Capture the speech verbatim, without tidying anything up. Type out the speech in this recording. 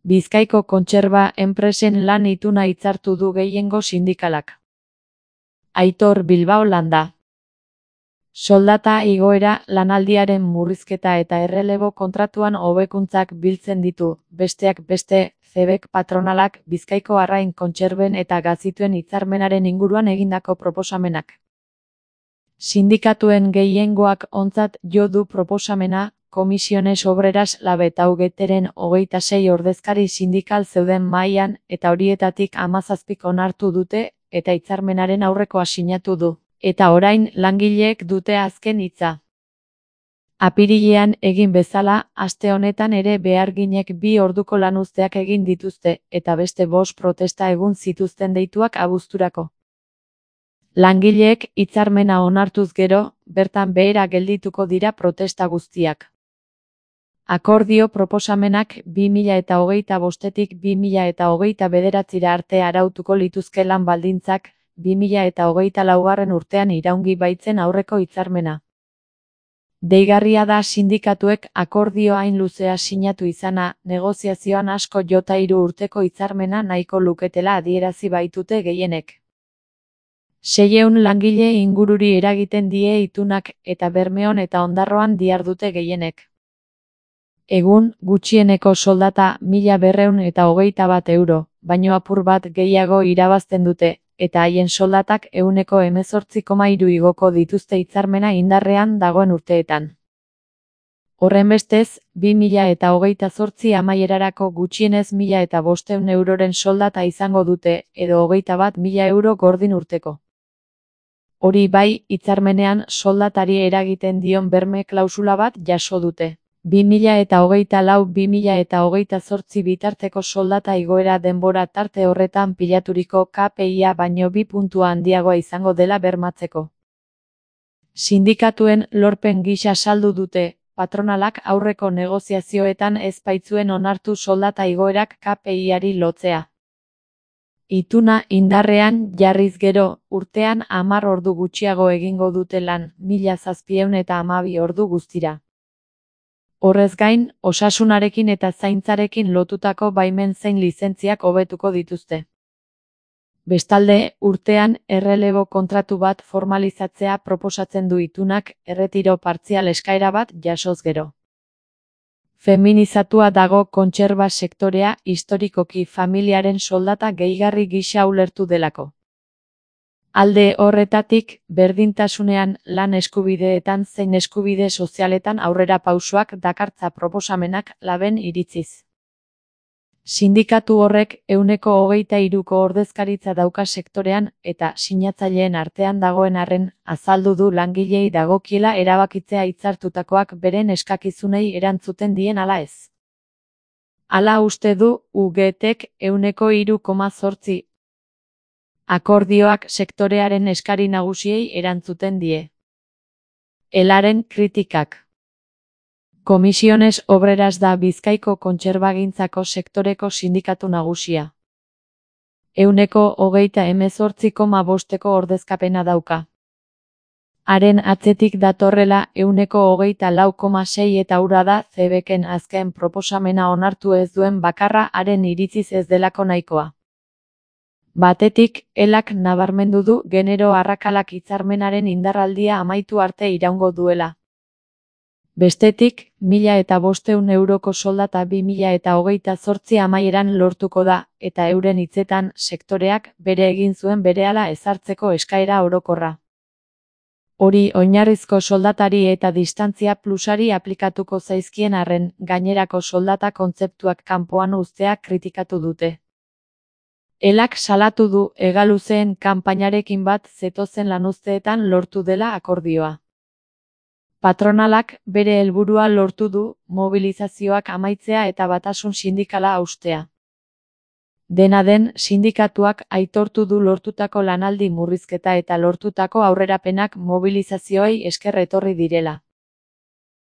Bizkaiko kontserba enpresen lan ituna hitzartu du gehiengo sindikalak. Aitor Bilbao Landa. Soldata igoera, lanaldiaren murrizketa eta errelebo kontratuan hobekuntzak biltzen ditu, besteak beste, Cebek patronalak Bizkaiko arrain kontserben eta gazituen hitzarmenaren inguruan egindako proposamenak. Sindikatuen gehiengoak ontzat jo du proposamena, Komisiones Obreras Labetaugeteren hogeita sei ordezkari sindikal zeuden mahaian eta horietatik hamazazpik onartu dute eta hitzarmenaren aurrekoa sinatu du. Eta orain langileek dute azken hitza. Apirilean egin bezala, aste honetan ere beharginek bi orduko lanuzteak egin dituzte, eta beste bost protesta egun zituzten deituak abuzturako. Langileek hitzarmena onartuz gero, bertan behera geldituko dira protesta guztiak. Akordio proposamenak bi mila eta hogeita bostetik bi mila eta hogeita bederatzira arte arautuko lituzke lan baldintzak, bi mila eta hogeita laugarren urtean iraungi baitzen aurreko hitzarmena. Deigarria da sindikatuek akordio hain luzea sinatu izana, negoziazioan asko jota hiru urteko hitzarmena nahiko luketela adierazi baitute gehienek. Seiehun langile ingururi eragiten die itunak eta Bermeon eta Ondarroan dihardute gehienek. Egun, gutxieneko soldata mila berrehun eta hogeita bat euro, baino apur bat gehiago irabazten dute, eta haien soldatak ehuneko hemezortzi koma hiru igoko dituzte hitzarmena indarrean dagoen urteetan. Horrenbestez, bi mila eta hogeita zortzi amaierarako gutxienez mila eta bostehun euroren soldata izango dute, edo hogeita bat mila euro gordin urteko. Hori bai, hitzarmenean soldatari eragiten dion berme klausula bat jaso dute. bi mila eta hogeita lau bi mila eta hogeita zortzi bitarteko soldata igoera denbora tarte horretan pilaturiko K P I-a baino bi puntua handiagoa izango dela bermatzeko. Sindikatuen lorpen gisa saldu dute, patronalak aurreko negoziazioetan ez baitzuen onartu soldata igoerak K P I-ari lotzea. Ituna indarrean jarriz gero, urtean hamar ordu gutxiago egingo dute lan, mila zazpiehun eta hamabi ordu guztira. Horrez gain, osasunarekin eta zaintzarekin lotutako baimen zein lizentziak hobetuko dituzte. Bestalde, urtean errelebo kontratu bat formalizatzea proposatzen du itunak, erretiro partzial eskaera bat jasoz gero. Feminizatua dago kontserba sektorea historikoki familiaren soldata gehigarri gisa ulertu delako. Alde horretatik, berdintasunean, lan eskubideetan zein eskubide sozialetan aurrera pausoak dakartza proposamenak laben iritziz. Sindikatu horrek ehuneko hogeita hiruko ordezkaritza dauka sektorean eta sinatzaileen artean dagoen arren azaldu du langilei dagokiela erabakitzea hitzartutakoak beren eskakizunei erantzuten dien ala ez. Hala uste du U G Tek ehuneko hiru koma zortzi. Akordioak sektorearen eskari nagusiei erantzuten die. Elaren kritikak. Komisiones Obreras da Bizkaiko kontserbagintzako sektoreko sindikatu nagusia. Ehuneko hogeita hemezortzi koma bosteko ordezkapena dauka. Haren atzetik datorrela ehuneko hogeita lau koma sei eta hura da Cebeken azken proposamena onartu ez duen bakarra haren iritziz ez delako nahikoa. Batetik, elak nabarmendu du genero arrakalak hitzarmenaren indarraldia amaitu arte iraungo duela. Bestetik, mila eta bostehun euroko soldata bi mila eta hogeita zortzi amaieran lortuko da, eta euren hitzetan sektoreak bere egin zuen berehala ezartzeko eskaera orokorra. Hori oinarrizko soldatari eta distantzia plusari aplikatuko zaizkien arren, gainerako soldata kontzeptuak kanpoan uztea kritikatu dute. Elak salatu du hegaluzeen kanpainarekin bat zetozen lanuzteetan lortu dela akordioa. Patronalak bere helburua lortu du, mobilizazioak amaitzea eta batasun sindikala haustea. Dena den, sindikatuak aitortu du lortutako lanaldi murrizketa eta lortutako aurrerapenak mobilizazioei esker etorri direla.